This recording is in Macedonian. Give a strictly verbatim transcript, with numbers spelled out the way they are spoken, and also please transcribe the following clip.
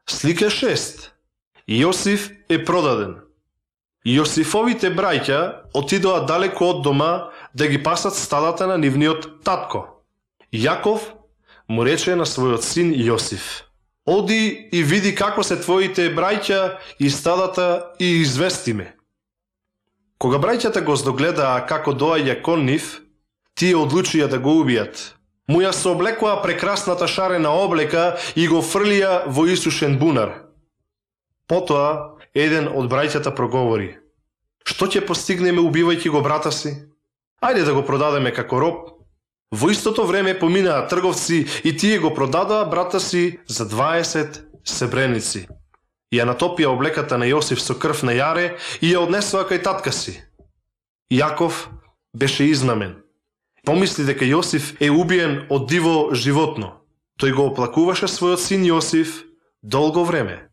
Слика шест. Јосиф е продаден. Јосифовите браќа отидоа далеко од дома да ги пасат стадата на нивниот татко. Јаков му рече на својот син Јосиф: Оди и види како се твоите браќа и стадата и извести ме. Кога браќата го здогледаа како доаѓа кон нив, тие одлучија да го убијат. Му ја сооблекоа прекрасната шарена облека и го фрлија во исушен бунар. Потоа еден од браќата проговори: Што ќе постигнеме убивајќи го брата си? Ајде да го продадеме како роб. Во истото време поминаа трговци и тие го продадоа брата си за дваесет сребреници. Ја натопија облеката на Јосиф со крв на јаре и ја однесоа кај татка си. Јаков беше изнамен. Помисли дека Јосиф е убиен од диво животно. Тој го оплакуваше својот син Јосиф долго време.